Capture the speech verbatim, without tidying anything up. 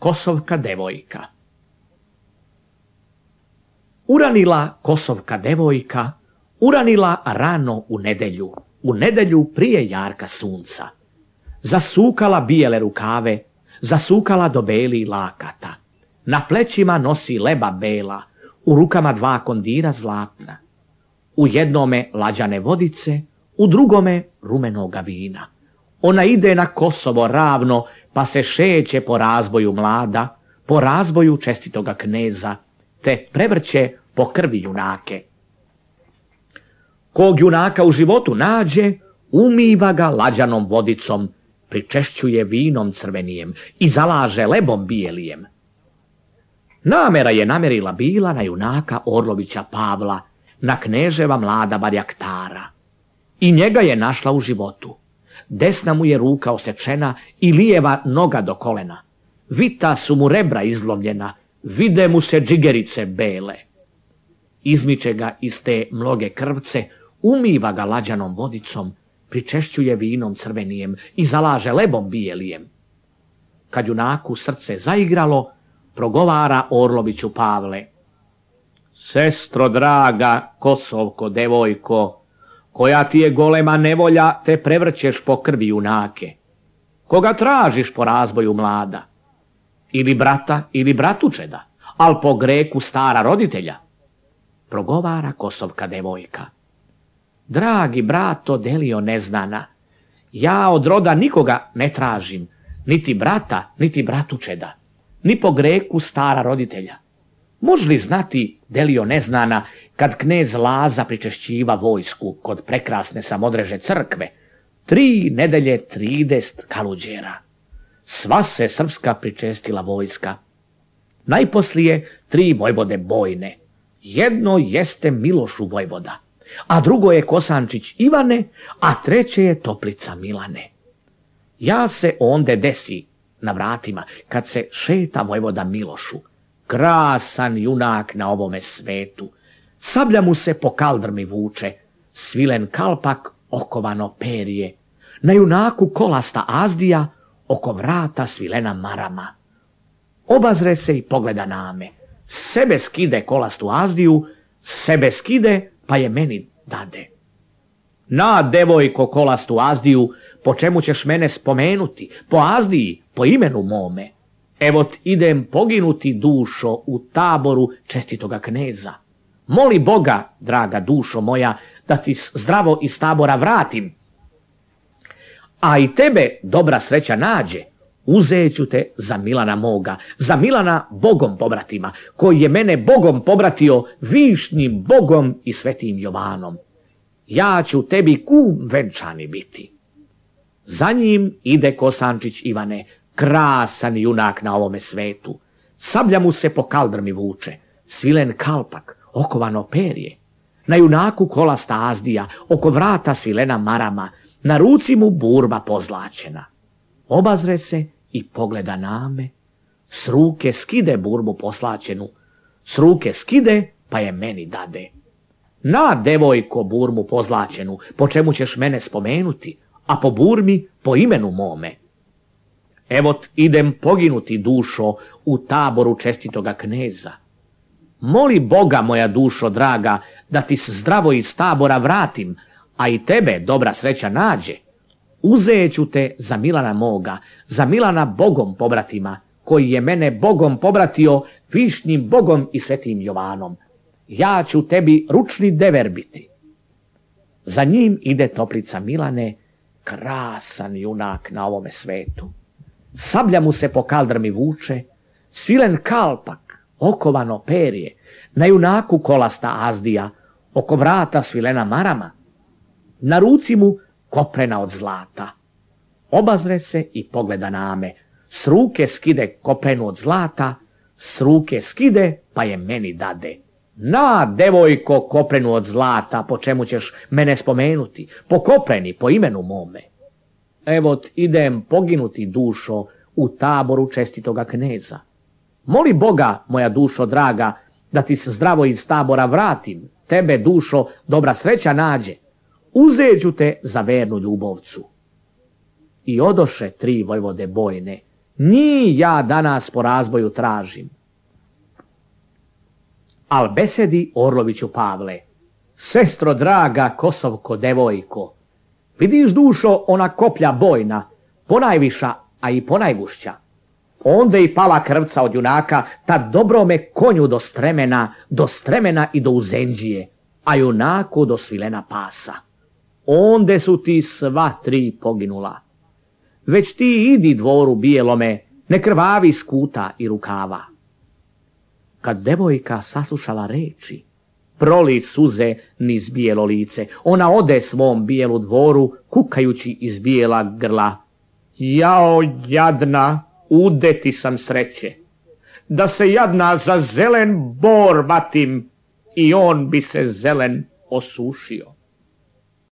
Kosovka devojka. Uranila Kosovka devojka, uranila rano u nedelju, u nedelju prije jarka sunca. Zasukala bijele rukave, zasukala do beli lakata. Na plećima nosi leba bela, u rukama dva kondira zlatna. U jednome lađane vodice, u drugome rumenoga vina. Ona ide na Kosovo ravno, pa se šeće po razboju mlada, po razboju čestitoga kneza, te prevrće po krvi junake. Kog junaka u životu nađe, umiva ga lađanom vodicom, pričešćuje vinom crvenijem i zalaže lebom bijelijem. Namera je namerila bila na junaka Orlovića Pavla, na kneževa mlada Barjaktara. I njega je našla u životu. Desna mu je ruka osečena i lijeva noga do kolena. Vita su mu rebra izlomljena, vide mu se džigerice bele. Izmiče ga iz te mnoge krvce, umiva ga lađanom vodicom, pričešćuje vinom crvenijem i zalaže lebom bijelijem. Kad junaku srce zaigralo, progovara Orloviću Pavle: sestro draga, Kosovko devojko, koja ti je golema nevolja, te prevrćeš po krvi junake. Koga tražiš po razboju mlada? Ili brata, ili bratučeda, al po greku stara roditelja? Progovara Kosovka devojka: dragi brato Delio neznana, ja od roda nikoga ne tražim, niti brata, niti bratučeda, ni po greku stara roditelja. Može li znati, Delio neznana, kad knez Laza pričešćiva vojsku kod prekrasne Samodreže crkve, tri nedelje tridest kaluđera. Sva se srpska pričestila vojska. Najposlije tri vojvode bojne. Jedno jeste Milošu vojvoda, a drugo je Kosančić Ivane, a treće je Toplica Milane. Ja se onde desi na vratima kad se šeta vojvoda Milošu, krasan junak na ovome svetu. Sablja mu se po kaldrmi vuče, svilen kalpak, okovano perje. Na junaku kolasta azdija, oko vrata svilena marama. Obazre se i pogleda name. Sebe skide kolastu azdiju, sebe skide pa je meni dade. Na, devojko, kolastu azdiju, po čemu ćeš mene spomenuti? Po azdiji, po imenu mome. Evot idem poginuti, dušo, u taboru čestitoga kneza. Moli Boga, draga dušo moja, da ti zdravo iz tabora vratim. A i tebe dobra sreća nađe, uzeću te za Milana moga, za Milana Bogom pobratima, koji je mene Bogom pobratio, višnjim Bogom i svetim Jovanom. Ja ću tebi kum venčani biti. Za njim ide Kosančić Ivane, krasan junak na ovome svetu. Sablja mu se po kaldrmi vuče, svilen kalpak, okovano perje. Na junaku kolasta azdija, oko vrata svilena marama, na ruci mu burba pozlačena. Obazre se i pogleda name, s ruke skide burbu poslačenu, s ruke skide pa je meni dade. Na, devojko, burmu pozlačenu, po čemu ćeš mene spomenuti, a po burmi po imenu mome. Evot idem poginuti, dušo, u taboru čestitoga kneza. Moli Boga, moja dušo draga, da ti se zdravo iz tabora vratim, a i tebe dobra sreća nađe. Uzeću te za Milana moga, za Milana Bogom pobratima, koji je mene Bogom pobratio, višnjim Bogom i svetim Jovanom. Ja ću tebi ručni dever biti. Za njim ide Toplica Milane, krasan junak na ovome svetu. Sablja mu se po kaldrmi vuče, svilen kalpak, okovano perje, na junaku kolasta azdija, oko vrata svilena marama, na ruci mu koprena od zlata. Obazre se i pogleda name, s ruke skide koprenu od zlata, s ruke skide pa je meni dade. Na, devojko, koprenu od zlata, po čemu ćeš mene spomenuti, po kopreni, po imenu mome. Evot idem poginuti, dušo, u taboru čestitoga kneza. Moli Boga, moja dušo draga, da ti se zdravo iz tabora vratim, tebe, dušo, dobra sreća nađe. Uzeću te za vernu ljubovcu. I odoše tri vojvode bojne, Njih ja danas po razboju tražim. Al besedi Orloviću Pavle, sestro draga Kosovko devojko, vidiš dušo ona koplja bojna, ponajviša, a i ponajgušća. Onde i pala krvca od junaka, ta dobrome konju do stremena, do stremena i do uzenđije, a junaku do svilena pasa. Onde su ti sva tri poginula. Već ti idi dvoru bijelome, ne krvavi skuta i rukava. Kad devojka saslušala reči, proli suze niz bijelo lice. Ona ode svom bijelu dvoru, kukajući iz bijela grla. Jao jadna, udeti sam sreće, da se jadna za zelen bor vatim i on bi se zelen osušio.